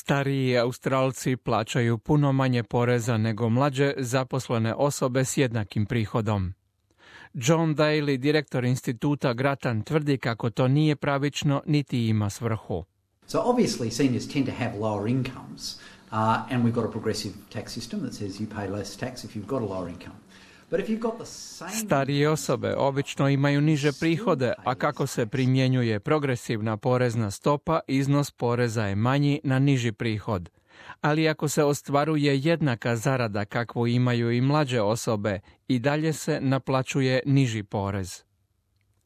Stariji Australci plaćaju puno manje poreza nego mlađe zaposlene osobe s jednakim prihodom. John Daly, direktor instituta Grattan, tvrdi kako to nije pravično niti ima svrhu. So obviously seniors tend to have lower incomes and we've got a progressive tax system that says you pay less tax if you've got a lower income. Starije osobe obično imaju niže prihode, a kako se primjenjuje progresivna porezna stopa, iznos poreza je manji na niži prihod. Ali ako se ostvaruje jednaka zarada kakvu imaju i mlađe osobe, i dalje se naplaćuje niži porez.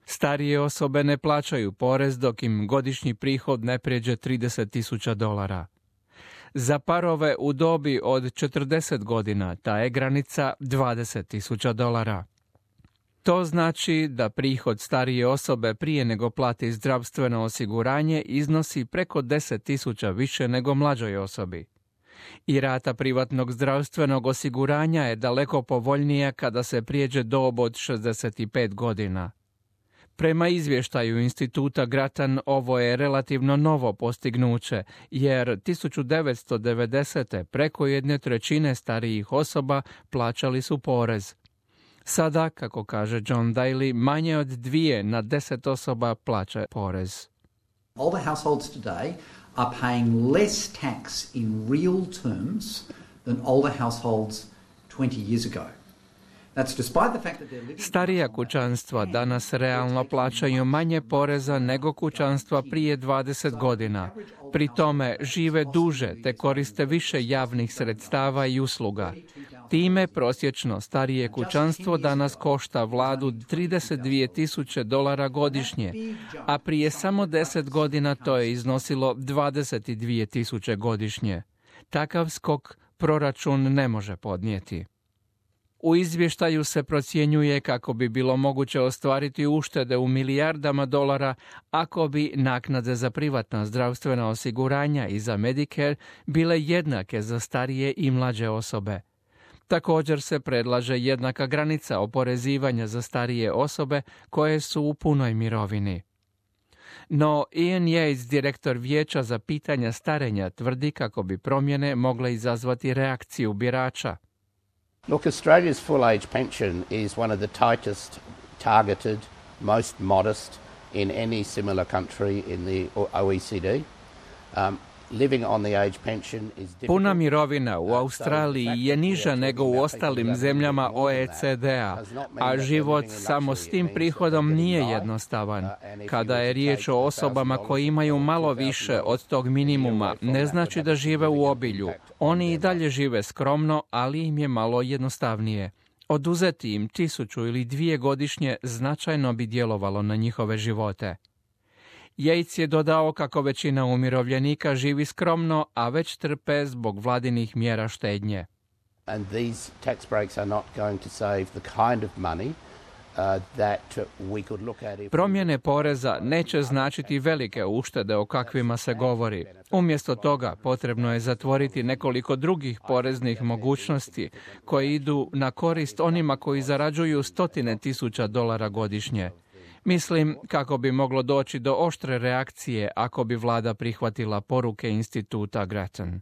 Starije osobe ne plaćaju porez dok im godišnji prihod ne prijeđe $30,000. Za parove u dobi od 40 godina ta je granica $20,000. To znači da prihod starije osobe prije nego plati zdravstveno osiguranje iznosi preko 10,000 više nego mlađoj osobi. I rata privatnog zdravstvenog osiguranja je daleko povoljnija kada se prijeđe dob od 65 godina. Prema izvještaju instituta Grattan, ovo je relativno novo postignuće, jer 1990. preko 1/3 starijih osoba plaćali su porez. Sada, kako kaže John Daly, manje od 2 na 10 osoba plaća porez. Older households today are paying less tax in real terms than older households 20 years ago. Starija kućanstva danas realno plaćaju manje poreza nego kućanstva prije 20 godina. Pri tome žive duže te koriste više javnih sredstava i usluga. Time prosječno starije kućanstvo danas košta vladu $32,000 godišnje, a prije samo 10 godina to je iznosilo $22,000 godišnje. Takav skok proračun ne može podnijeti. U izvještaju se procjenjuje kako bi bilo moguće ostvariti uštede u milijardama dolara ako bi naknade za privatna zdravstvena osiguranja i za Medicare bile jednake za starije i mlađe osobe. Također se predlaže jednaka granica oporezivanja za starije osobe koje su u punoj mirovini. No Ian Yates, direktor Vijeća za pitanja starenja, tvrdi kako bi promjene mogle izazvati reakciju birača. Look, Australia's full age pension is one of the tightest targeted, most modest in any similar country in the OECD. Living on the age pension is difficult. Puna mirovina u Australiji je niža nego u ostalim zemljama OECD-a, a život samo s tim prihodom nije jednostavan. Kada je riječ o osobama koji imaju malo više od tog minimuma, ne znači da žive u obilju. Oni i dalje žive skromno, ali im je malo jednostavnije. Oduzeti im 1,000 ili 2 godišnje značajno bi djelovalo na njihove živote. Yates je dodao kako većina umirovljenika živi skromno, a već trpe zbog vladinih mjera štednje. And these tax breaks are not going to save the kind of money that we could look at if... Promjene poreza neće značiti velike uštede o kakvima se govori. Umjesto toga potrebno je zatvoriti nekoliko drugih poreznih mogućnosti koje idu na korist onima koji zarađuju $100,000 godišnje. Mislim kako bi moglo doći do oštre reakcije ako bi vlada prihvatila poruke instituta Grattan.